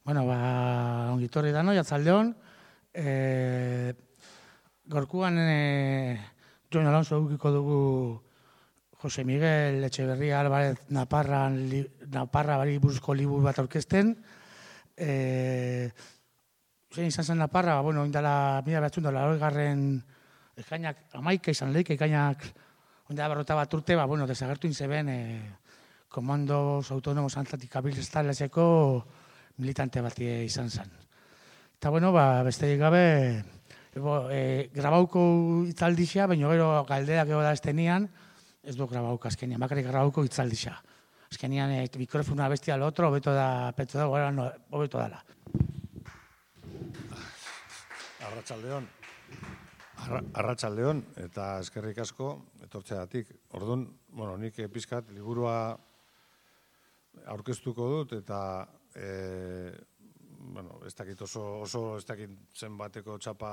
Bueno, ongitorri da, no, jatzaldeon. Gorkuan Jon Alonso edukiko dugu Jose Miguel Etxeberria Álvarez Naparra bari buruzko liburu bat aurkezten. Zein izan zen Naparra, bueno, indala 1980garren ekainak 11 izan leik, ekainak ondela 41 urte, bueno, desagertu inzeben Komandos Autonomos Anticapitalisteko militante bat izan zen. Eta, bueno, besterik gabe, grabauko itzaldixa, baina gero galderak ego da estenian, ez du grabauko azkenian, bakarrik grabauko itzaldixa. Azkenian mikrofona bestia lo otro, hobeto da, hobeto dala. Arratsaldeon, eta eskerrik asko etortzeagatik. Orduan, bueno, nik pizkat liburua aurkeztuko dut, eta ez dakit oso ez dakit zenbateko txapa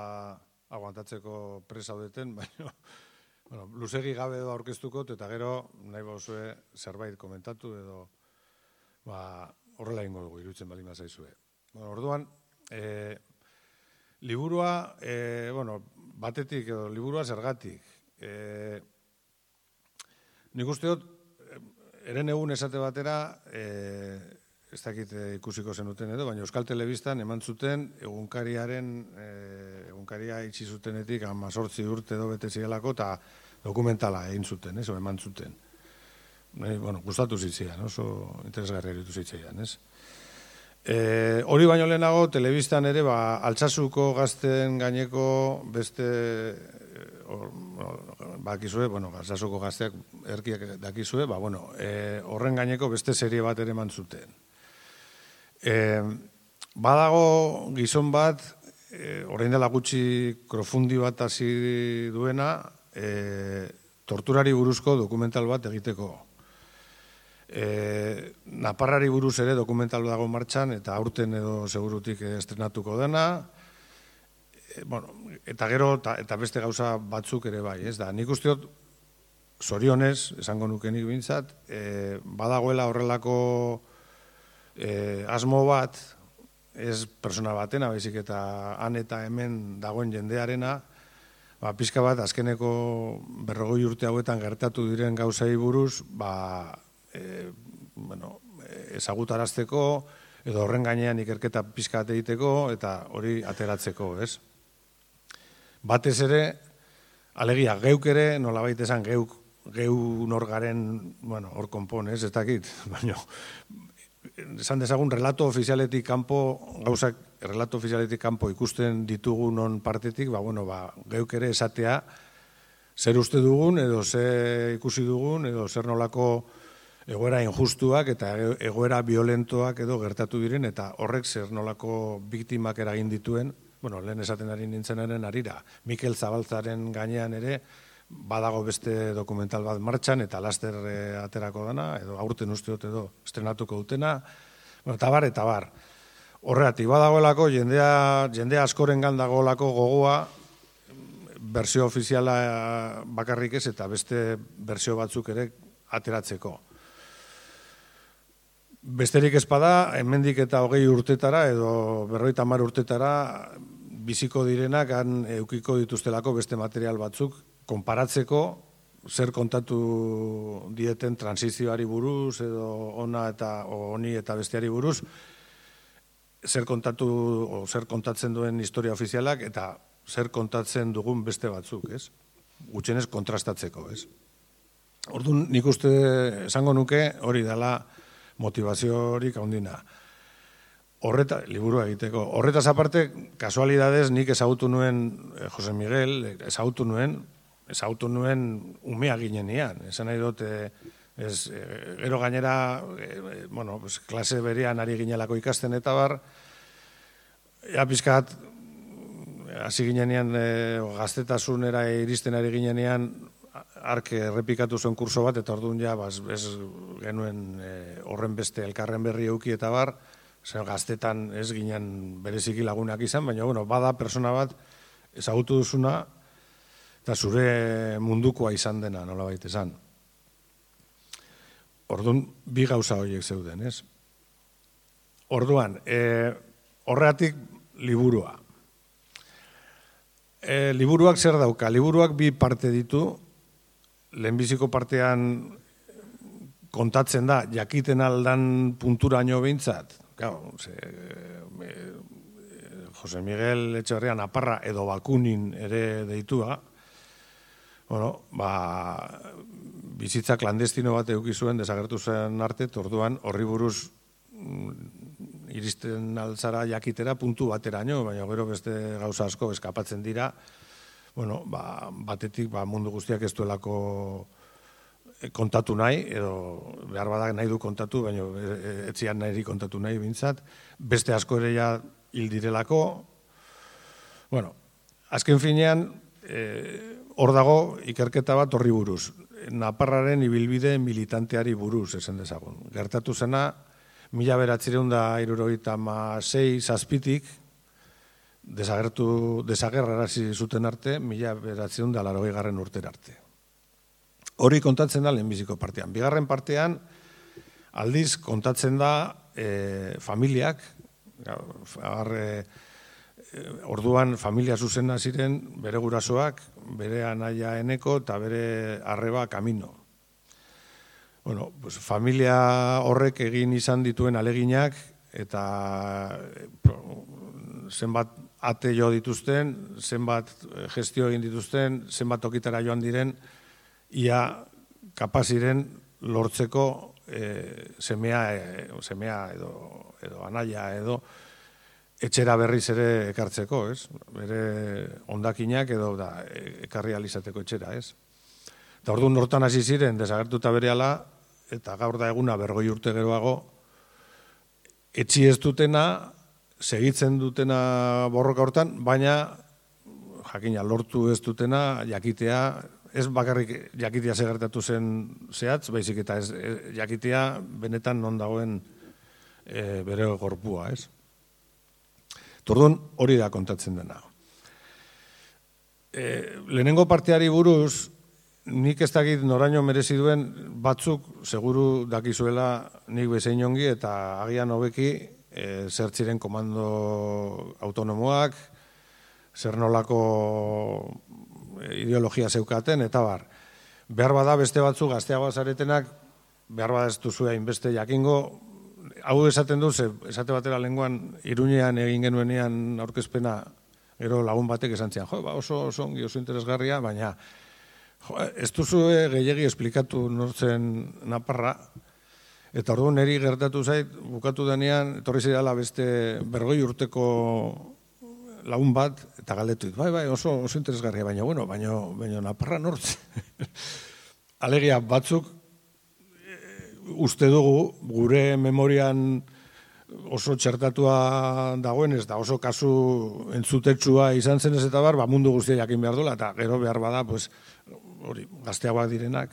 aguantatzeko presaudeten, baina luzegi gabe edo aurkeztuko, eta gero nahi bauzue zerbait komentatu edo horrela ingo dugu, iruditzen baldin bazaizue. Orduan, liburua, batetik edo liburua zergatik. Nik uste dut, eren egun esate batera, ez dakit ikusiko zenuten edo, baina Euskal Telebistan eman zuten egunkaria itxi zutenetik 18 urte edo bete zirelako eta dokumentala egin zuten, eman zuten. Gustatu zitzaidan, oso interesgarria iruditu zitzaidan, ez? Hori baino lehenago, telebistan ere, Altsasuko gazten gaineko beste, bakizue, Altsasuko gazteak erkiak dakizue, horren gaineko beste serie bat ere eman zuten. Badago gizon bat, orain dela gutxi krofundi bat hasi duena, torturari buruzko dokumental bat egiteko. Naparrari buruz ere dokumental dago martxan, eta aurten edo segurutik estrenatuko dena, eta gero, eta beste gauza batzuk ere bai, ez da. Nik usteot, zorionez, esango nuke nik bintzat, badagoela horrelako asmo bat, ez persona batena, baizik eta han eta hemen dagoen jendearena, pixka bat, azkeneko 40 urte hauetan gertatu diren gauzai buruz, ezagutarazteko, edo horren gainean ikerketa pixka bat egiteko, eta hori ateratzeko, ez? Batez ere, alegia, geuk ere, nolabait esan geu norgaren, hor konpon, ez dakit, baina, esan dezagun, relato ofizialetik kanpo, gauzak relato ofizialetik kanpo ikusten ditugunon partetik, geuk ere esatea, zer uste dugun, edo zer ikusi dugun, edo zer nolako egoera injustuak eta egoera violentoak edo gertatu diren, eta horrek zer nolako biktimak eragin dituen, lehen esaten ari nintzenaren arira, Mikel Zabaltzaren gainean ere, badago beste dokumental bat martxan, eta laster aterako dana, edo aurten usteot edo estrenatuko dutena, eta bar. Horregatik, badagoelako, jendea askorengan dagoelako gogoa, berzio ofiziala bakarrik ez, eta beste berzio batzuk ere ateratzeko. Besterik ezpada, hemendik eta 20 urtetara, edo 50 urtetara, biziko direnak han eukiko dituztelako beste material batzuk, konparatzeko zer kontatu dieten transizioari buruz, edo honi eta besteari buruz, zer kontatzen duen historia ofizialak, eta zer kontatzen dugun beste batzuk, ez? Gutxienez kontrastatzeko, ez? Orduan, nik uste esango nuke hori dela motivaziorik handina. Liburua egiteko. Horretaz aparte, kasualidadez, nik ezagutu nuen Jose Miguel, ezagutu nuen umea ginenean. Esan nahi dut, gero gainera, klase berean ari ginelako ikasten eta bar, pizkat, hasi ginenean, gaztetasunera iristen ari ginenean, ark errepikatu zuen kurso bat, eta orduan ez genuen horren beste elkarren berri euki eta bar, gaztetan ez ginen bereziki lagunak izan, baina bada persona bat ezagutu duzuna, eta zure mundukoa izan dena, nolabait esan. Orduan, bi gauza horiek zeuden, ez? Orduan, horregatik liburua. Liburuak zer dauka? Liburuak bi parte ditu, lehenbiziko partean kontatzen da, jakiten aldan punturaino behintzat, Jose Miguel Etxeberria Naparra edo Bakunin ere deitua, bizitza klandestino bat eduki zuen desagertu zen arte, orduan horri buruz iristen altzara jakitera puntu bateraino, baina gero beste gauza asko eskapatzen dira, batetik mundu guztiak ez duelako kontatu nahi, edo behar badak nahi du kontatu, baina etzian nahi kontatu nahi bintzat, beste asko ere ja hil direlako. Azken finean, hor dago ikerketa bat horri buruz. Naparraren ibilbide militanteari buruz, esan dezagun. Gertatu zena, 1976 desagerrarazi zuten arte, 1980 urtera arte. Hori kontatzen da lehenbiziko partean. Bigarren partean, aldiz kontatzen da familiak, orduan familia zuzena ziren bere gurasoak, bere anaia Eneko eta bere arreba Kamino. Familia horrek egin izan dituen aleginak eta zenbat ate jo dituzten, zenbat gestio egin dituzten, zenbat tokitara joan diren, ia kapaziren lortzeko semea edo anaia edo etxera berriz ere ekartzeko, ez? Bere hondakinak edo ekarri alizateko etxera, ez? Eta orduan hortan hasi ziren desagertuta berehala eta gaur da eguna 40 urte geroago etxi ez dutena, segitzen dutena borroka hortan, baina jakina lortu ez dutena jakitea, ez bakarrik jakitea segertatu zen zehatz, baizik eta ez jakitea benetan non dagoen bere gorpua, ez? Orduan hori da kontatzen dena. Lehenengo parteari buruz, nik ez dakit noraino merezi duen batzuk seguru dakizuela nik bezain ongi eta agian hobeki zer ziren komando autonomoak, zer nolako ideologia zeukaten, eta bar. Behar bada beste batzuk gazteagoa zaretenak, behar bada ez duzu hainbeste jakingo, hau esaten du, esate batera lenguan Iruñean egin genuenean aurkezpena, gero lagun batek esan zian, oso ongi, oso interesgarria, baina ez duzu gehiagi esplikatu nortzen Naparra, eta orduan niri gertatu zait, bukatu denean, etorri zidala beste 40 urteko lagun bat, eta galdetu dit, bai, oso interesgarria, baina Naparra nortzen. Alegia batzuk, uste dugu, gure memorian oso txertatua dagoenez, da oso kasu entzutetsua izan zenez eta bar, mundu guztia jakin behar duela, eta gero behar bada, gazteagoak direnak,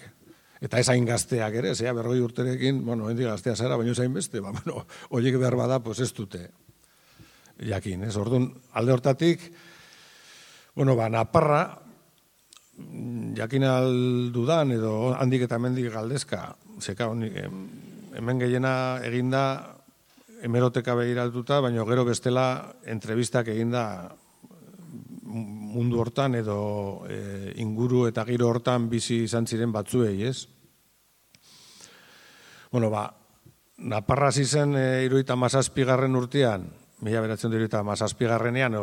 eta ez hain gazteak ere, 40 urterekin, hendik gaztea zara, baina ez hain beste, horiek behar bada, ez dute jakin, ez? Orduan, alde hortatik, Naparra, jakin aldudan, edo handik eta hemendik galdezka, hemen gehiena eginda hemeroteka begiratuta, baina gero bestela entrevistak eginda mundu hortan edo inguru eta giro hortan bizi izan ziren batzuei, ez? Naparra zizen 77. urtean, 1977ean,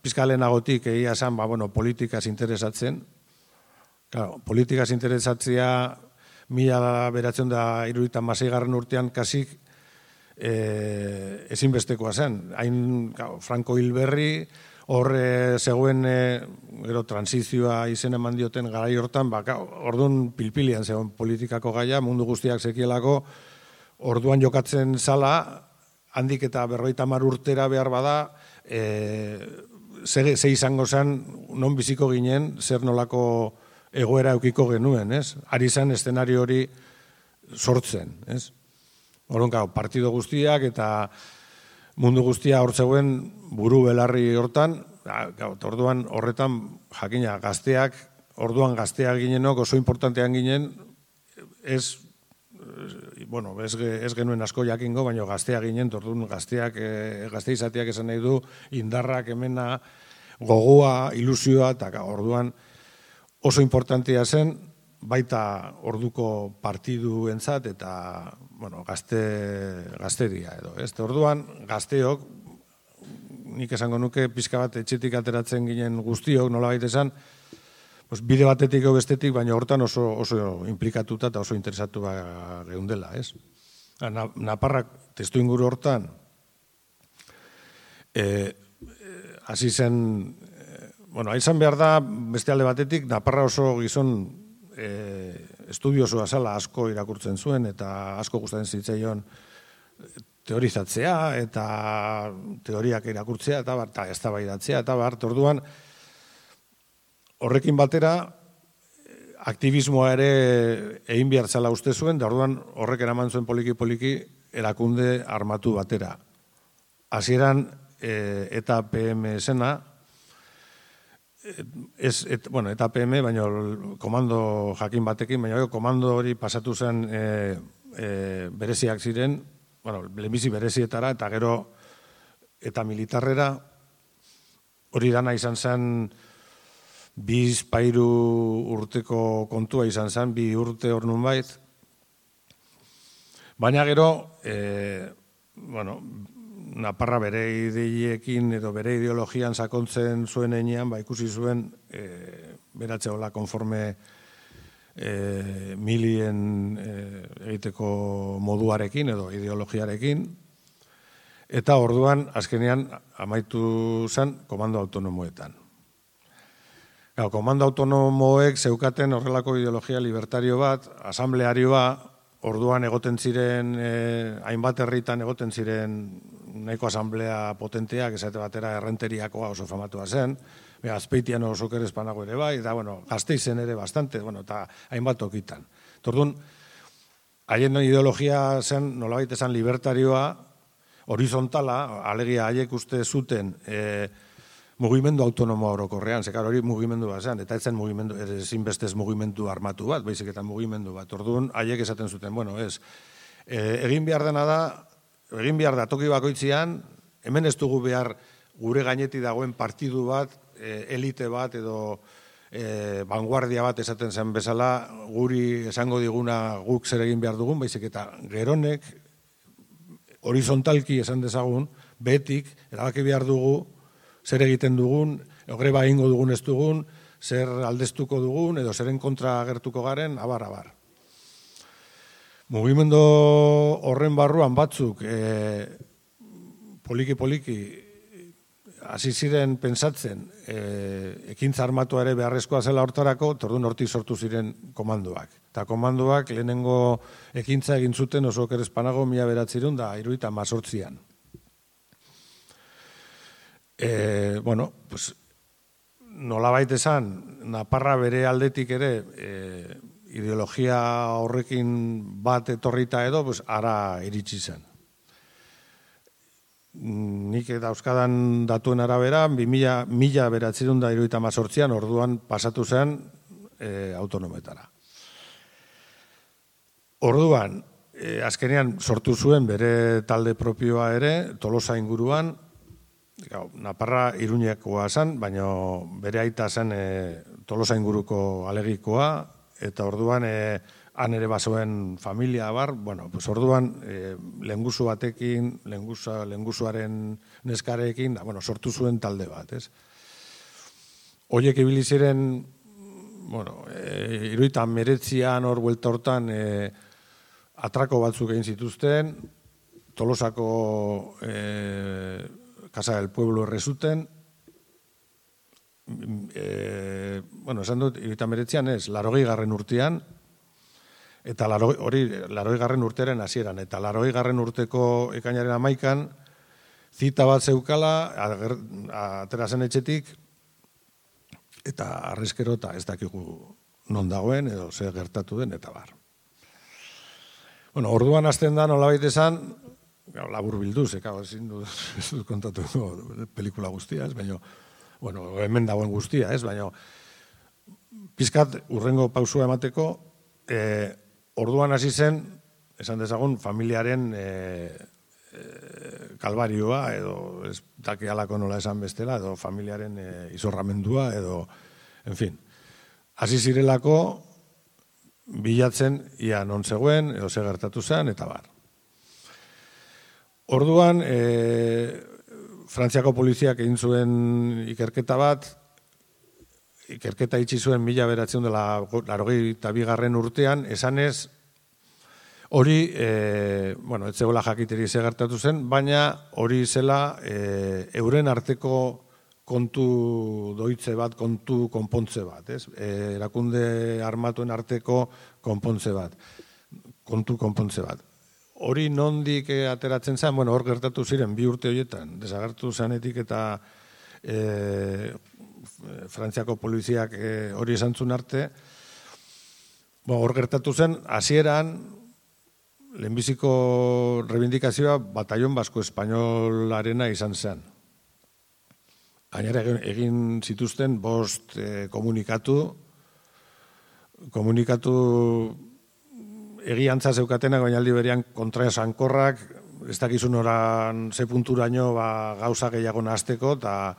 pizkalenagotik egia esan, politikaz interesatzen. Politikaz interesatzea 1976 urtean kasik ezinbestekoa zen. Hain Franco Hilberri, hor zegoen gero transizioa izen eman dioten garai hortan, orduan pilpilian zegoen politikako gaia, mundu guztiak zekielako, orduan jokatzen zala, handik eta 50 urtera behar bada, ze izango zen, non biziko ginen, zer nolako egoera eukiko genuen, ez? Ari zen eszenario hori sortzen, ez? Orduan, partido guztiak eta mundu guztia hor zegoen buru belarri hortan, orduan horretan jakina gazteak, orduan gazteak ginenok oso importantean ginen, ez bueno, ez genuen asko jakingo, baina gaztea ginen, orduan gazte izateak esan nahi du, indarrak, hemena, gogoa, ilusioa, eta orduan oso importantia zen, baita orduko partiduentzat eta, bueno, gazteria edo. Orduan, gazteok, nik esango nuke, pixka bat etxetik ateratzen ginen guztiok, nolabait esan, bide batetik edo bestetik, baina hortan oso implikatuta eta oso interesatu geundela, ez? Naparrak testu inguru hortan, hasi zen, bueno, izan behar da, beste alde batetik, Naparra oso gizon estudiosoa zala asko irakurtzen zuen, eta asko gustatzen zitzaion teorizatzea, eta teoriak irakurtzea, eta eztabaidatzea, eta orduan, horrekin batera, aktivismoa ere egin behar zela uste zuen, da orduan horrek eraman zuen poliki-poliki erakunde armatu batera. Hasieran eta PM zena, eta PM, baina komando jakin batekin, baina komando hori pasatu zen bereziak ziren, lehenbizi berezietara, eta gero eta militarrera, hori dana izan zen, 2-3 urteko kontua izan zen, 2 urte hor nunbait. Baina gero, Naparra bere ideiekin edo bere ideologian sakontzen zuen enean, ikusi zuen beratze hola konforme milien egiteko moduarekin edo ideologiarekin. Eta orduan, azkenean, amaitu zen komando autonomoetan. Komando autonomoek zeukaten horrelako ideologia libertario bat, asamblearioa, orduan egoten ziren, hainbat herritan egoten ziren nahiko asamblea potenteak, esate batera errenteriakoa oso famatua zen, Azpeitian oso kerezpanago ere bai, eta Gasteizen ere bastante, eta hainbat tokitan. Orduan, haien ideologia zen, nolabait esan libertarioa, horizontala, alegia haiek uste zuten, mugimendu autonomoa orokorrean, zekar hori mugimendu bat zen, eta etzen mugimendu, ezinbestez mugimendu armatu bat, baizik eta mugimendu bat. Orduan, haiek esaten zuten, egin behar dena da, egin behar da toki bakoitzian, hemen ez dugu behar gure gainetik dagoen partidu bat, elite bat edo vanguardia bat esaten zen bezala, guri esango diguna guk zer egin behar dugun, baizik eta geronek, horizontalki esan dezagun, betik, erabaki behar dugu, zer egiten dugun, greba egingo dugun ez dugun, zer aldeztuko dugun, edo zeren kontra agertuko garen, abar. Mugimendu horren barruan batzuk, poliki-poliki, hasi ziren pentsatzen, ekintza armatua ere beharrezkoa zela hortarako, orduan hortik sortu ziren komandoak. Eta komandoak lehenengo ekintza egin zuten oso kerezpanago 1978an. Nolabait esan, Naparra bere aldetik ere ideologia horrekin bat etorrita edo, ara iritsi zen. Nik dauzkadan datuen arabera, 1978an orduan pasatu zen autonometara. Orduan, azkenean sortu zuen bere talde propioa ere, Tolosa inguruan, Naparra Iruñekoa zen, baina bere aita zen Tolosa inguruko alegikoa, eta orduan han ere bazoen familia bar, orduan lengusu batekin, lengusuaren neskarekin, sortu zuen talde bat, ez? Horiek ibili ziren, 1979an hor buelta hortan atrako batzuk egin zituzten, Tolosako Casa del Pueblo errezuten, esan dut, 1979an ez, 80. urtean, eta hori 80. urtearen hasieran, eta 80. urteko ekainaren 11an, zita bat zeukala, atera zen etxetik, eta arrezkero eta ez dakigu non dagoen, edo zer gertatu den, eta bar. Orduan hasten da nolabait esan, labur bilduz, ezin dut kontatu pelikula guztia, baina, hemen dagoen guztia, baina, pizkat urrengo pausua emateko, orduan hasi zen esan dezagun, familiaren kalbarioa, edo ez daki alako nola esan bestela, edo familiaren izorramendua, edo, en fin. Hasi zirelako bilatzen ia non zegoen, edo ze gertatu zen, eta bar. Orduan, Frantziako poliziak egin zuen ikerketa bat, ikerketa itxi zuen 1982 urtean, esanez, hori, ez zegoela jakiteri ze gertatu zen, baina hori zela euren arteko kontu doitze bat, kontu konpontze bat, ez? Erakunde armatuen arteko konpontze bat, kontu konpontze bat. Hori nondik ateratzen zen, hor gertatu ziren 2 urte horietan, desagertu zanetik eta Frantziako poliziak hori esan zuen arte, hor gertatu zen, hasieran lehenbiziko reivindikazioa Batallon Basko Espainolarena izan zen. Gainera egin zituzten 5 komunikatu egiantza zeukatenak, baina aldi berean kontra esankorrak, ez dakizun oran ze punturaino gauza gehiago nahasteko, eta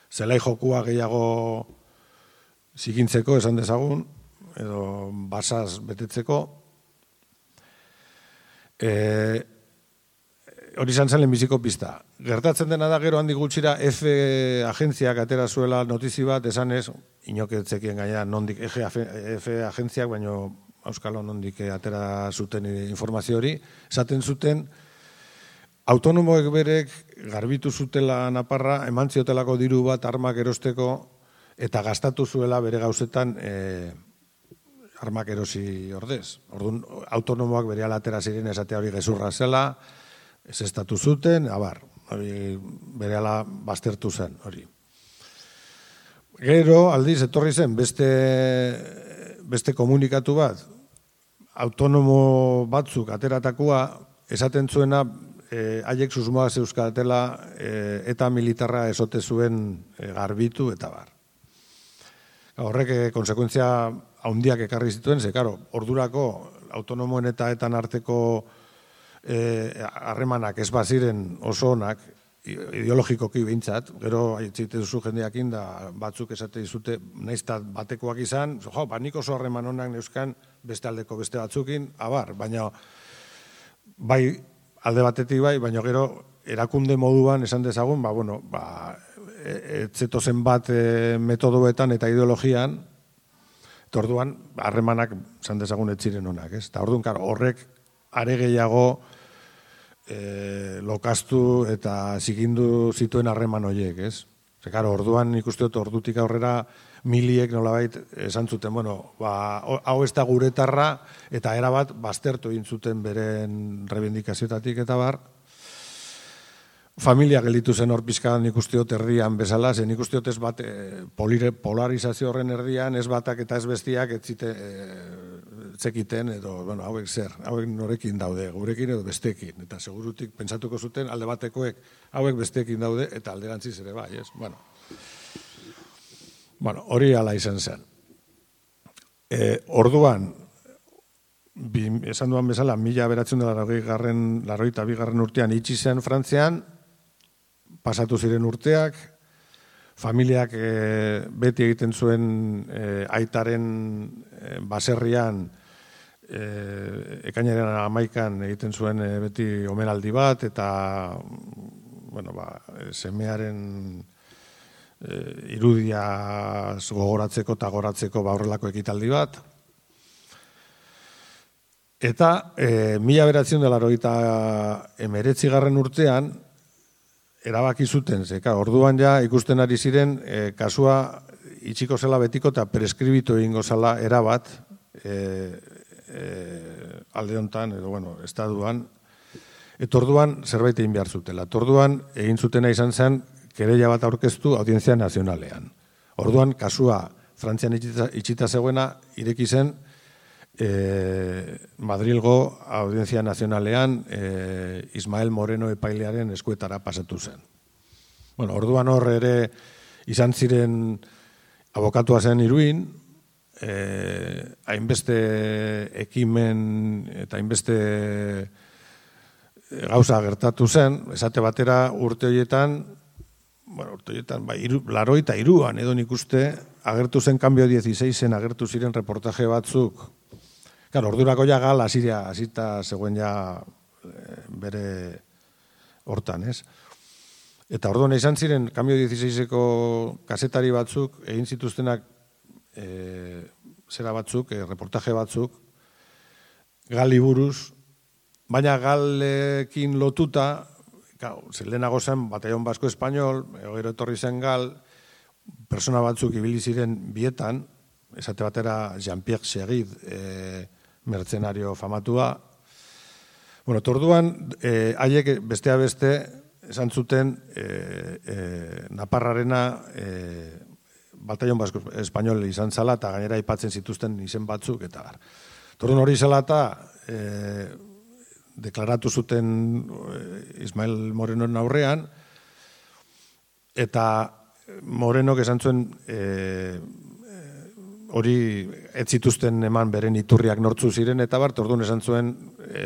zelai jokua gehiago zikintzeko, esan dezagun, edo basaz betetzeko. Hori izan zen lehenbiziko pista. Gertatzen dena da gero handik gutxira F agentziak atera zuela notizi bat, esanez, inoketzekien gaina nondik F agentziak, baino Euskalo nondik atera zuten informazio hori, esaten zuten, autonomoek berek garbitu zutela Naparra, eman ziotelako diru bat armak erosteko, eta gastatu zuela bere gauzetan armak erosi ordez. Orduan, autonomoak bere alatera ziren esatea hori gezurra zela, ez estatu zuten, abar, hori bere ala baztertu zen, hori. Gero, aldiz, etorri zen, beste komunikatu bat, autonomo batzuk ateratakoa, esaten zuena, haiek susmoa zeuzkatela eta militarra esote zuen garbitu eta bar. Horrek konsekuentzia handiak ekarri zituen, ze, karo, ordurako autonomoen eta etan arteko harremanak ez baziren oso onak, ideologikoki behintzat, gero aitzite duzu jendeakin da batzuk esate dizute, naizta batekoak izan, nik oso harreman onak neuzkan beste aldeko beste batzukin, abar, baina bai alde batetik bai, baina gero erakunde moduan esan dezagun, etzetozen bat metodoetan eta ideologian, eta orduan harremanak esan dezagun etziren onak, ez? Eta orduan horrek are gehiago lokastu eta zikindu zituen harreman horiek, ez? Orduan ikuste dut ordutik aurrera miliek nolabait esan zuten, hau ez da guretarra eta erabat baztertu egin zuten beren reivindikazioetatik eta bar. Familia gelditu zen hor pizkadan ikuste dut erdian bezala, zen ikuste dut ez bat polarizazio horren erdian, ez batak eta ez bestiak ez zekiten, edo, hauek zer, hauek norekin daude, gurekin edo bestekin, eta segurutik pentsatuko zuten alde batekoek hauek bestekin daude, eta alderantziz ere bai, ez? Hori ala izan zen. Orduan, esan duan bezala, 1982 urtean itxi zen Frantzian, pasatu ziren urteak, familiak beti egiten zuen aitaren baserrian, ekainaren 11an egiten zuen beti omenaldi bat, eta semearen irudia gogoratzeko eta goratzeko horrelako ekitaldi bat. Eta 1989 urtean, erabaki zuten, orduan ja ikusten ari ziren kasua itxiko zela betiko eta preskribitu egingo zela erabat alde honetan, edo estaduan, eta orduan zerbait egin behar zutela. Orduan egin zutena izan zen kereila bat aurkeztu Audientzia Nazionalean. Orduan kasua Frantzian itxita zegoena ireki zen Madrilgo Audientzia Nazionalean Ismael Moreno epailearen eskuetara pasatu zen. Orduan hor ere izan ziren abokatua zen Iruin, hainbeste ekimen eta hainbeste gauza gertatu zen, esate batera urte horietan, laroita iruan, edo nik uste, agertu zen Cambio 16-en, agertu ziren reportaje batzuk. Claro, ordurako ja gal, hasita zegoen ja bere hortan, ez? Eta orduan izan ziren, Cambio 16-eko kazetari batzuk, egin zituztenak zera batzuk, reportaje batzuk, gali buruz, baina galekin lotuta, lehenago zen Batallón Basko Espainol, gero etorri zen gal, persona batzuk ibili ziren bietan, esate batera Jean-Pierre Seguid, mertzenario famatua. Bueno, torduan, haiek bestea beste, esan zuten Naparrarena Batallón Basko Espainol izan zala, eta gainera aipatzen zituzten izen batzuk, eta bar. Torduan hori zela eta deklaratu zuten Ismael Morenoren aurrean, eta Morenok esan zuen hori ez zituzten eman beren iturriak nortzu ziren, eta bar, orduan esan zuen,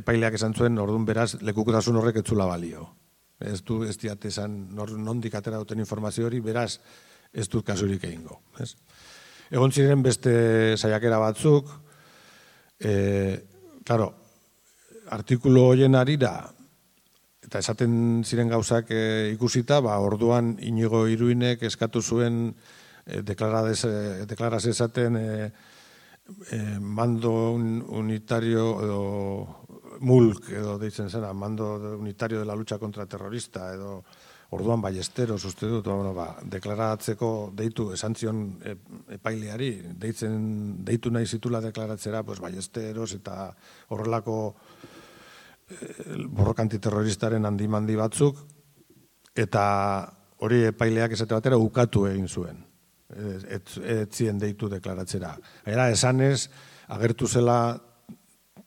epaileak esan zuen, orduan beraz, lekukotasun horrek etzula balio. Ez diat esan, nondik atera duten informazio hori, beraz, ez dut kasurik egingo. Egon ziren beste saiakera batzuk, claro, artikulu horien arira, eta esaten ziren gauzak ikusita, orduan Inigo Iruinek eskatu zuen deklaraz esaten mando unitario edo MULC edo deitzen zena, mando unitario de la lucha contra terrorista edo orduan Ballesteros uste dut, deklaratzeko deitu esan zion epaileari, deitu nahi zitula deklaratzera Ballesteros eta horrelako borroka antiterroristaren handi batzuk, eta hori epaileak esate batera ukatu egin zuen, ez zien deitu deklaratzera. Era esanez, agertu zela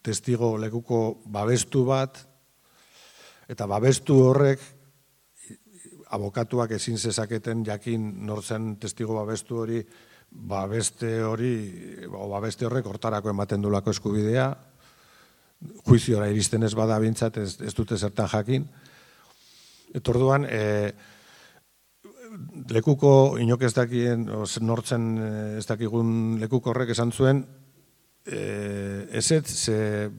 testigo lekuko babestu bat, eta babestu horrek abokatuak ezin zezaketen jakin nortzen testigo babestu hori, babeste horrek hortarako ematen dulako eskubidea, juiziora iristen ez bada bintzat, ez dute zertan jakin. Eta orduan, lekuko inok ez dakien, nortzen ez dakigun lekuko horrek esan zuen, ezetz,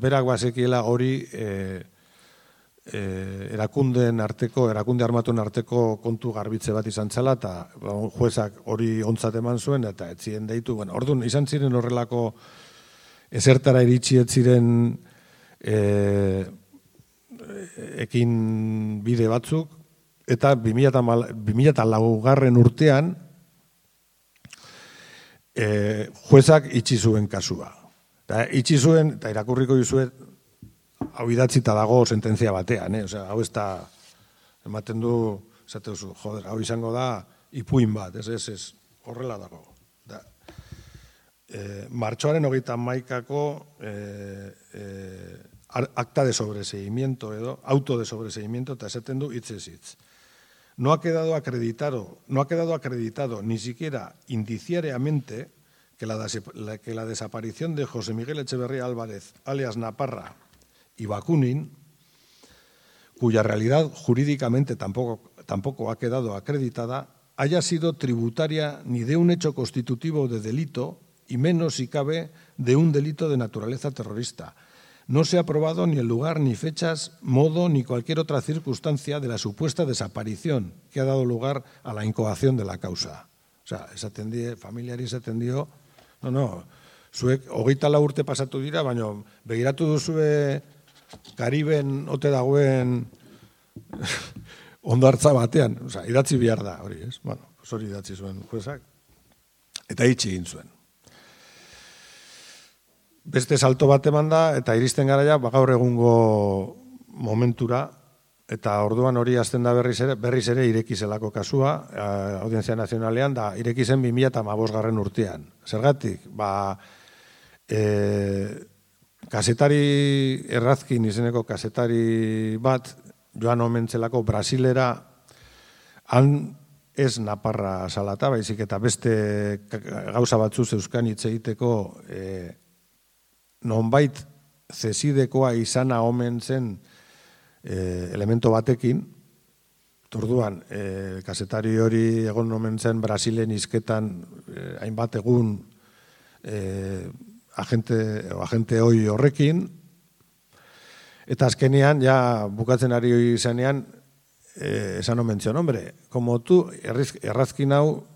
berak bazekiela hori erakunde armatuen arteko kontu garbitze bat izan zela, eta juezak hori ontzat eman zuen, eta ez ziren deitu. Orduan, izan ziren horrelako ezertara iritsi ez ziren ekin bide batzuk, eta 2004 urtean juezak itxi zuen kasua. Itxi zuen, eta irakurriko dizuet, hau idatzita dago sententzia batean, hau ez da, ematen du, esate duzu, hau izango da, ipuin bat, ez, horrela dago. Martxoaren 31ako acta de sobreseimiento edo auto de sobreseimiento, eta esaten du hitzez hitz. No ha quedado acreditado ni siquiera indiciariamente que la desaparición de José Miguel Echeverría Álvarez, alias Naparra, y Bakunin, cuya realidad jurídicamente tampoco ha quedado acreditada, haya sido tributaria ni de un hecho constitutivo de delito, y menos, si cabe, de un delito de naturaleza terrorista. No se ha probado ni el lugar, ni fechas, modo, ni cualquier otra circunstancia de la supuesta desaparición que ha dado lugar a la incoación de la causa. O sea, familiari esatendio, zuek 24 urte pasatu dira, baina begiratu duzue Kariben ote dagoen ondartza batean, o sea, idatzi behar da, hori, ez? Bueno, hori idatzi zuen juezak, eta itxi egin zuen. Beste salto bat eman da, eta iristen garaia, gaur egungo momentura, eta orduan hori azten da berriz ere ireki zelako kasua, Audientzia Nazionalean, da ireki zen 2015 urtean. Zergatik, kasetari Errazkin izeneko kasetari bat, joan omen zelako Brasilera, han ez naparra salata, baizik eta beste gauza batzu zeuzkan hitz egiteko nonbait zesidekoa izana omen zen elemento batekin. Orduan, kazetari hori egon omen zen Brasilen hizketan hainbat egun agente hoi horrekin, eta azkenean, ja bukatzen ari izanean, esan omen zion, hombre, como tu errazkin hau,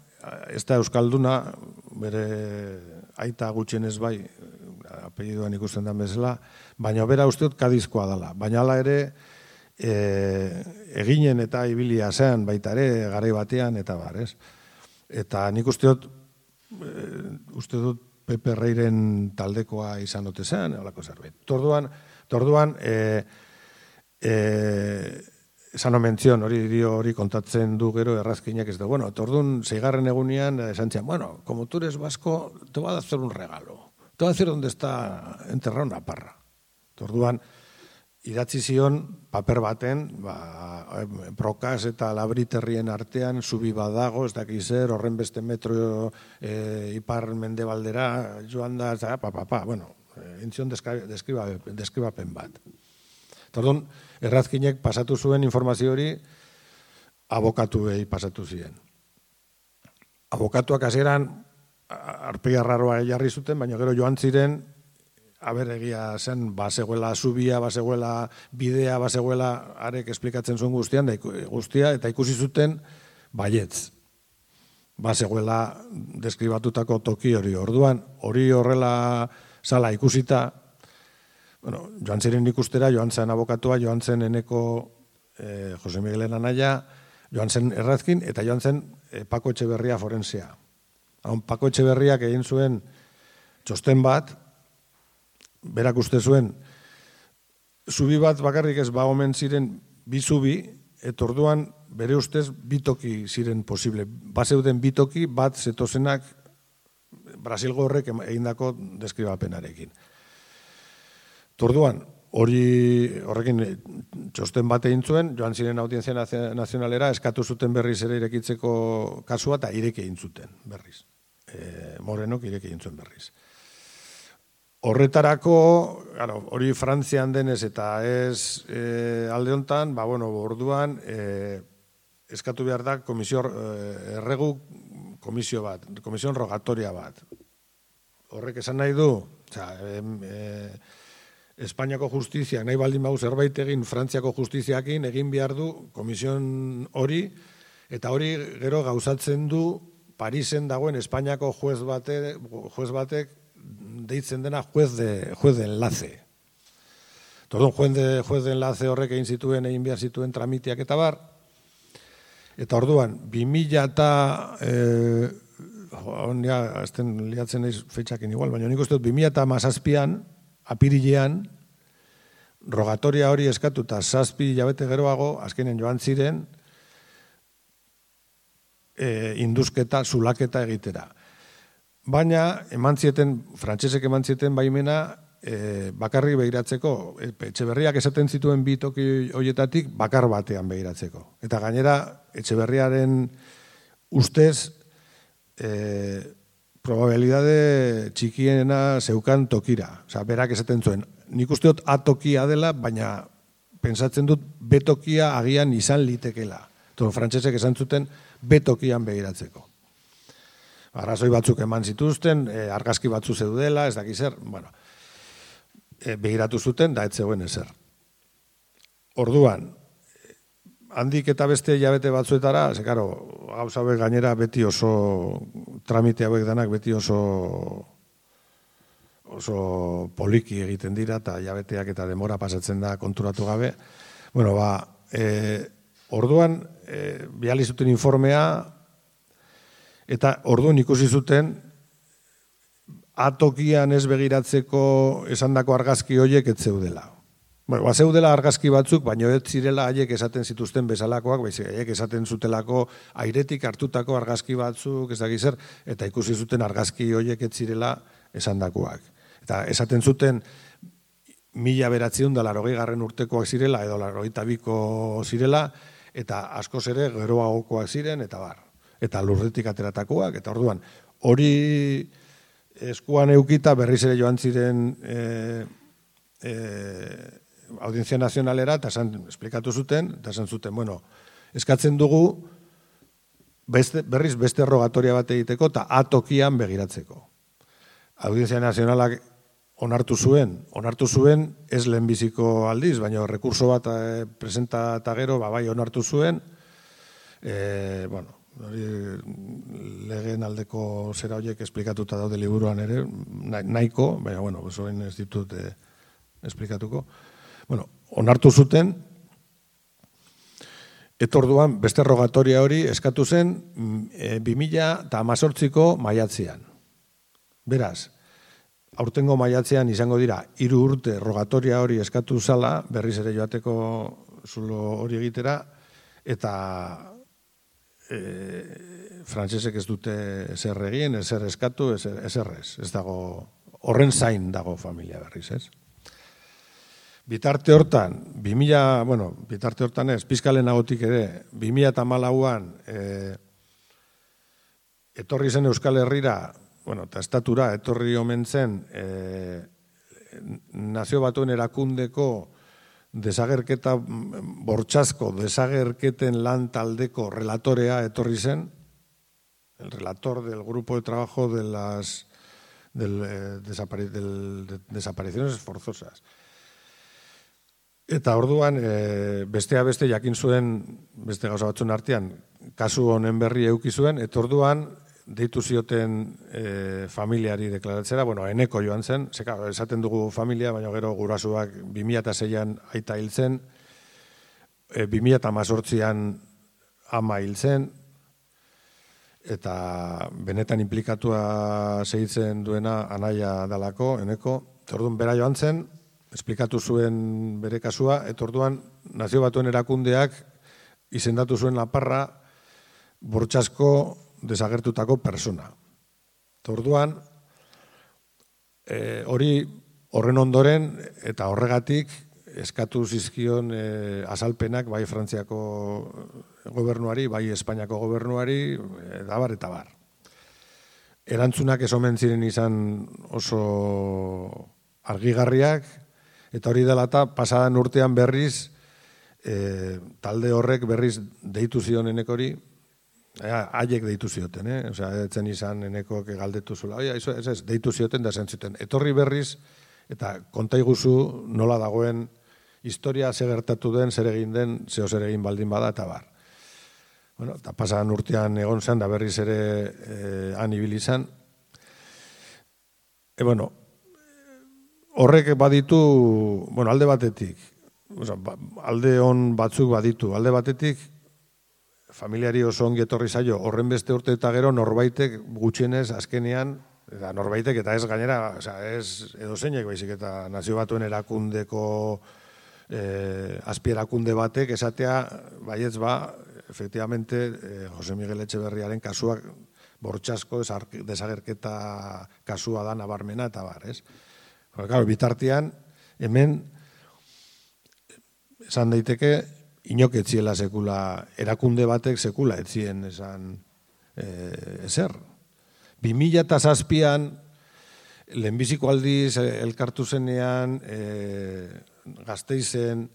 ez da euskalduna, bere aita gutxienez bai, apellidoan ikusten den bezala, baina bera usteot Kadizkoa dela, baina hala ere, eginen eta ibilia zean baita ere, garai batean, eta bar, ez? Eta nik uste dut Pepe Reiren taldekoa izan ote zean, holako zerbait. Torduan, esan omen zion, hori kontatzen du gero errazkinak ez da. Bueno, torduan, 6. egunean, esan zian, bueno, como tú eres vasco, te voy a hacer un regalo. Te voy a decir dónde está enterrado una parra. Torduan, idatzi zion paper baten, Brokas eta Labriterrien artean zubi badago, ez dakiz zer, horren beste metro ipar mendebaldera joan da, bueno, entzion deskribapen bat. Orduan, errazkinek pasatu zuen informazio hori abokatuei pasatu ziren. Abokatuak hasieran arpegia raroa jarri zuten, baina gero joan ziren egia zen, bazegoela zubia, bazegoela bidea, bazegoela arek esplikatzen zuen guztia, eta ikusi zuten baietz. Bazegoela deskribatutako toki hori. Orduan, hori horrela zala ikusita, bueno, joan ziren ikustera, joan zen abokatua, joan zen eneko Jose Miguelen anaia, joan zen errazkin, eta joan zen Pako Etxeberria forensea. Pako Etxeberriak egin zuen txosten bat, berak uste zuen, zubi bat bakarrik ez omen ziren bi zubi, eta orduan bere ustez bitoki ziren posible. Bazeuden bitoki bat zetozenak Brasilgo horrek egindako deskribapenarekin. Orduan, horrekin txosten bat egin zuen, joan ziren Audientzia Nazionalera, eskatu zuten berriz ere irekitzeko kasua, eta ireki egin zuten berriz. Morenok ireki egin zuen berriz. Horretarako, hori Frantzian denez eta ez alde hontan, orduan eskatu behar da erregu komisio bat, komisio rogatoria bat. Horrek esan nahi du, Espainiako justiziak nahi baldin bau zerbait egin Frantziako justiziakin egin behar du komisioen hori, eta hori gero gauzatzen du Parisen dagoen Espainiako juez batek deitzen dena juez de enlace. Orduan, juez de enlace horrek egin behar zituen tramiteak eta bar. Eta orduan, 2000 eta, azten liatzen naiz feitxakin igual, baina nik uste dut 2017an, apirilean, rogatoria hori eskatu eta 7 hilabete geroago, azkenen joan ziren, induzketa, zulaketa egitera. Baina, frantsesek eman zieten baimena bakarrik begiratzeko, Etxeberriak esaten zituen bi toki horietatik bakar batean begiratzeko. Eta gainera, Etxeberriaren ustez, probabilidade txikiena zeukan tokira. Osa, berak esaten zuen, nik usteot A tokia dela, baina pensatzen dut B tokia agian izan litekela. Frantsesek esan zuten B tokian begiratzeko. Arrazoi batzuk eman zituzten, argazki batzu zeudela, ez dakiz zer, begiratu zuten, da ez zegoen ezer. Orduan, handik eta beste hilabete batzuetara, gauza hauek gainera beti oso, tramite hauek danak beti oso poliki egiten dira, eta hilabeteak eta demora pasatzen da konturatu gabe. Orduan, bihali zuten informea, eta orduan ikusi zuten atokian ez begiratzeko esandako argazki horiek ez zeudela. Zeudela argazki batzuk, baina ez zirela haiek esaten zituzten bezalakoak, haiek esaten zutelako airetik hartutako argazki batzuk, ez dakiz zer, eta ikusi zuten argazki horiek ez zirela esandakoak. Eta esaten zuten 1980 urtekoak zirela, edo 82ko zirela, eta askoz ere geroagokoak ziren, eta bar. eta lurretik ateratakoak, eta orduan, hori eskuan eukita berriz ere joan ziren Audientzia Nazionalera, eta esplikatu zuten, eta esan zuten, bueno, eskatzen dugu berriz beste rogatoria bat egiteko, eta atokian begiratzeko. Audientzia Nazionalak onartu zuen, ez lehenbiziko aldiz, baina rekurso bat presenta eta gero, bai onartu zuen, bueno, legeen aldeko zera horiek esplikatuta daude liburuan ere, nahiko, baina, bueno, osoen ez ditut esplikatuko. Bueno, onartu zuten, eta orduan beste rogatoria hori eskatu zen 2018ko maiatzean. Beraz, aurtengo maiatzean izango dira 3 urte rogatoria hori eskatu zala, berriz ere joateko zulo hori egitera, eta frantsesek ez dute ezer egin, ezer eskatu, ezer ez. Ez dago, horren zain dago familia berriz, ez? Bitarte hortan, bitarte hortan ez, pizkalen agotik ere, 2014an etorri zen Euskal Herrira, eta estatura etorri omen zen Nazio Batuen erakundeko desagerketa bortxazko, desagerketen lan taldeko relatorea etorri zen, el relator del grupo de trabajo de las desapariciones forzosas. Eta orduan, bestea beste jakin zuen, beste gauza batzun artean, kasu honen berri eduki zuen, eta orduan, deitu zioten familiari deklaratzera, eneko joan zen, esaten dugu familia, baina gero gurasuak 2006an aita hil zen, 2018an ama hil zen, eta benetan implikatua segitzen duena anaia dalako, eneko, eta orduan bera joan zen, esplikatu zuen bere kasua, eta orduan Nazio Batuen erakundeak izendatu zuen Laparra bortxazko desagertutako persona. Eta orduan, horren ondoren eta horregatik eskatu zizkion azalpenak bai Frantziako gobernuari, bai Espainiako gobernuari, dabar eta bar. Erantzunak ez omen ziren izan oso argigarriak, eta hori dela eta pasadan urtean berriz, talde horrek berriz deitu zion enekori, haiek deitu zioten, etzen izan enekok galdetu zula, ez, deitu zioten da zen zuten. Etorri berriz, eta konta iguzu nola dagoen historia zer gertatu den, zer egin den, zeo zer egin baldin bada, eta bar. Eta pasadan urtean egon zen, da berriz ere han ibili izan. Horrek baditu, alde batetik, alde on batzuk baditu, alde batetik, familiari oso ongi etorri zaio, horren beste urte eta gero norbaitek gutxienez azkenean, eta norbaitek eta ez gainera, ez edozeinek baizik eta Nazio Batuen erakundeko azpierakunde batek esatea, baietz efectivamente, Jose Miguel Etxeberriaren kasuak bortxazko desagerketa kasua da nabarmena eta bar, ez? Bitartean, hemen, esan daiteke, inok etziela sekula, erakunde batek sekula etzien esan ezer. 2007an, lehenbiziko aldiz elkartu zenean, Gasteizen,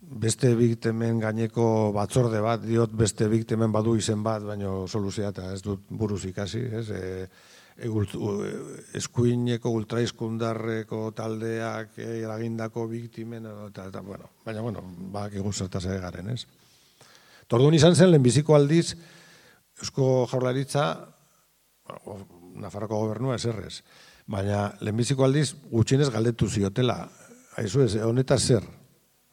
beste biktimen gaineko batzorde bat, diot beste biktimen badu izen bat, baina soluzia eta ez dut buruz ikasi, ez? Eskuineko ultraizkundarreko taldeak eragindako biktimen, baina, bak eguzertaz ere garen, ez? Orduan izan zen, lehenbiziko aldiz, Eusko Jaurlaritza, Nafarroko gobernua eserrez, baina lehenbiziko aldiz gutxienez galdetu ziotela, haizu ez, honetaz zer?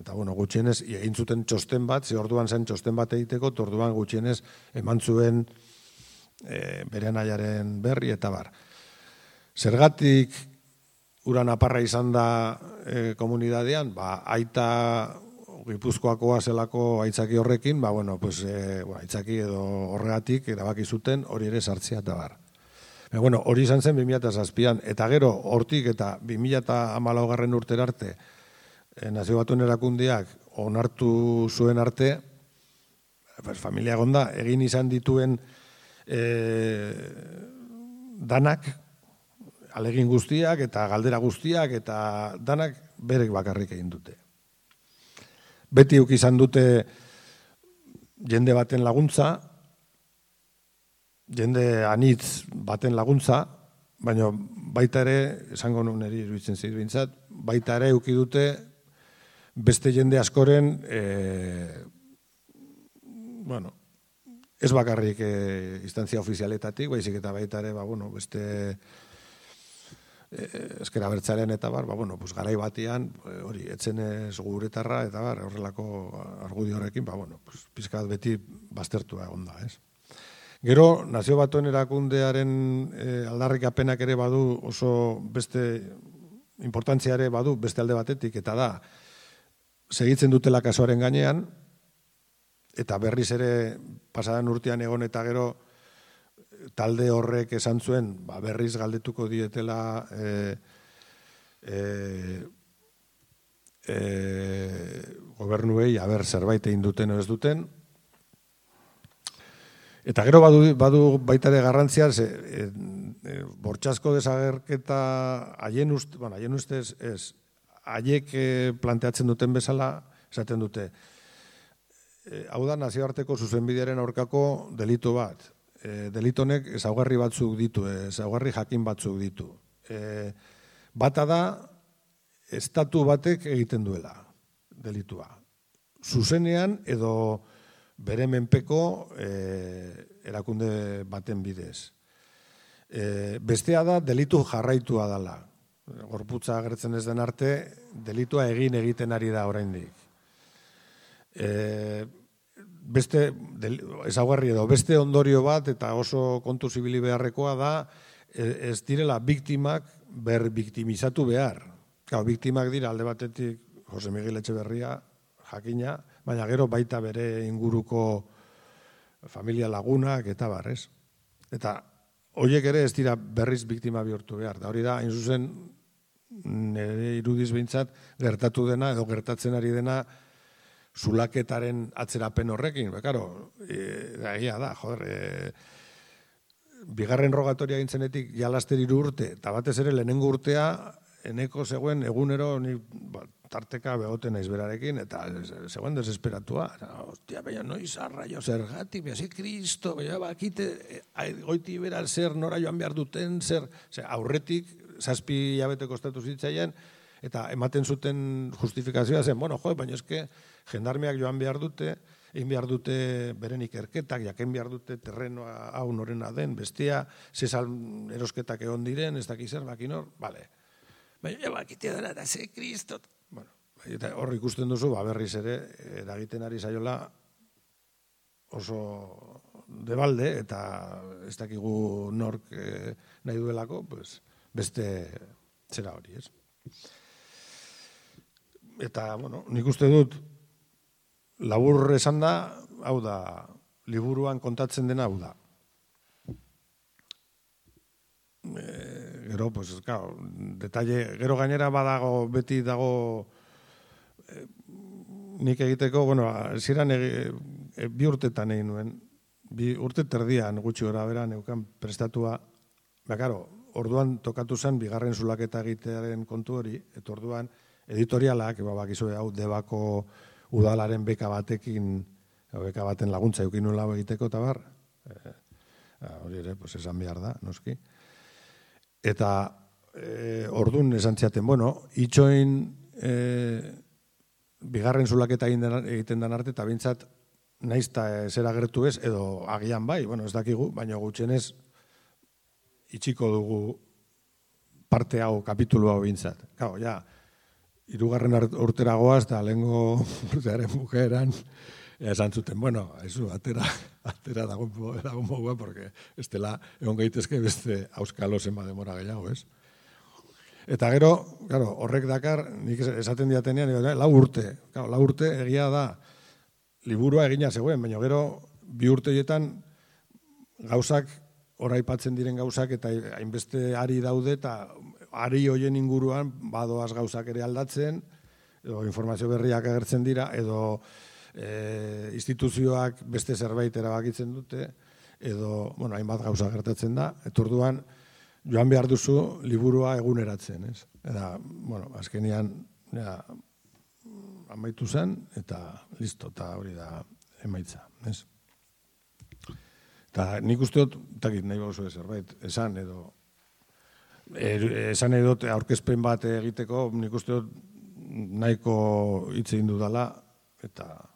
Eta, gutxienez, egin zuten txosten bat, ze orduan zen txosten bat egiteko, orduan gutxienez eman zuen bere anaiaren berri eta bar. Zergatik ura naparra izan da komunidadean, aita Gipuzkoakoa zelako aitzaki horrekin, aitzaki edo horregatik erabaki zuten hori ere sartzea eta bar. Hori izan zen 2007an, eta gero hortik eta 2014 urtera arte Nazio Batuen erakundeak onartu zuen arte, familia gonda, egin izan dituen danak, alegin guztiak eta galdera guztiak eta danak berek bakarrik egin dute. Beti euk izan dute jende baten laguntza, jende anitz baten laguntza, baina baita ere, esango niri iruditzen zait behintzat, baita ere euki dute beste jende askoren, bueno, ez bakarrik instantzia ofizialetatik, baizik eta baita ere, beste ezker abertzaren eta garai batian, hori, etzen ez guretarra, eta horrelako argudio horrekin, pizkat beti baztertua egon da, ez? Gero, Nazio Batuen erakundearen aldarrikapenak ere badu oso beste importantzia ere badu beste alde batetik, eta da, segitzen dutela kasuaren gainean, eta berriz ere pasadan urtean egon eta gero talde horrek esan zuen, berriz galdetuko dietela gobernuei, zerbait egin duten o ez duten. Eta gero badu baita ere garrantzia, bortxasko desagerketa haien ustez ez, haiek planteatzen duten bezala, esaten dute, hau da nazioarteko zuzenbidearen aurkako delitu bat. Delitonek ezaugarri batzuk ditu, ezaugarri jakin batzuk ditu. Bata da, estatu batek egiten duela delitua. Zuzenean edo bere menpeko erakunde baten bidez. Bestea da, delitu jarraitua dela. Gorputza agertzen ez den arte, delitua egiten ari da oraindik. Beste ezaugarri edo beste ondorio bat eta oso kontu zibili beharrekoa da ez direla biktimak berbiktimizatu behar. Biktimak dira alde batetik Jose Miguel Etxeberria jakina, baina gero baita bere inguruko familia lagunak eta barrez. Eta horiek ere ez dira berriz biktima bihurtu behar. Da hori da, hain zuzen, nire irudiz behintzat, gertatu dena edo gertatzen ari dena zulaketaren atzerapen horrekin. Bekaro, egia da, bigarren rogatoria gintzenetik jalaster 3 urte, eta batez ere lehenengo urtea, eneko zegoen egunero, tarteka begoten naiz berarekin, eta zegoen desesperatua. Hostia, baina noiz arraio zergatik, beha, Kristo, baina bakite, goiti bera zer nora joan behar duten, zer aurretik, 7 hilabete kostatu zitzaien, eta ematen zuten justifikazioa zen, baina eske, jendarmeak joan behar dute, egin behar dute beren ikerketak, jaken behar dute terrenoa hau norena den, bestia, zesal erosketak egon diren, ez dakiz zer, bakinor, bale. Baina bakitea dara, da ze Kristot. Hor ikusten duzu, berriz ere, eragiten ari zaiola oso debalde, eta ez dakigu nork nahi duelako, beste zera hori, ez? Eta, nik uste dut, labur esan da, hau da, liburuan kontatzen dena hau da. Gero, detalle, gero gainera badago, beti dago nik egiteko, ziren 2 urtetan egin nuen, 2 urte terdian gutxi gora bera neukan prestatua, orduan tokatu zen bigarren zulaketa egitearen kontu hori, eta orduan editorialak, bakizue hau Debako udalaren beka batekin, beka baten laguntza eukin nuen lau egiteko, eta bar, hori ere, esan behar da, noski. Eta orduan esan ziaten, itxoin bigarren zulaketa egiten den arte, eta bintzat naizta zer agertu ez, edo agian bai, ez dakigu, baina gutxenez itxiko dugu parte hau, kapitulu hau bintzat. Gau, ja, 3. urtera goaz, eta lehengo urtearen bukaeran, esan zuten, atera dago mogua, porque ez dela egon gaitezke beste auskalo zenba demora gehiago, ez? Eta gero, horrek dakar, nik esaten diatenean, 4 urte. 4 urte egia da, liburua egina zegoen, baina gero, 2 urteetan gauzak, oraipatzen diren gauzak, eta hainbeste ari daude, eta ari hoien inguruan, badoaz gauzak ere aldatzen, edo informazio berriak agertzen dira, edo instituzioak beste zerbait erabakitzen dute, edo, bueno, hainbat gauza gertatzen da, eta orduan joan behar duzu liburua eguneratzen, ez? Eta, bueno, azkenian, amaitu zen, eta listo, eta hori da emaitza, ez? Eta nik uste dut, takit nahi bauzu zerbait, esan edot aurkezpen bat egiteko, nik uste dut nahiko hitz egin dudala, eta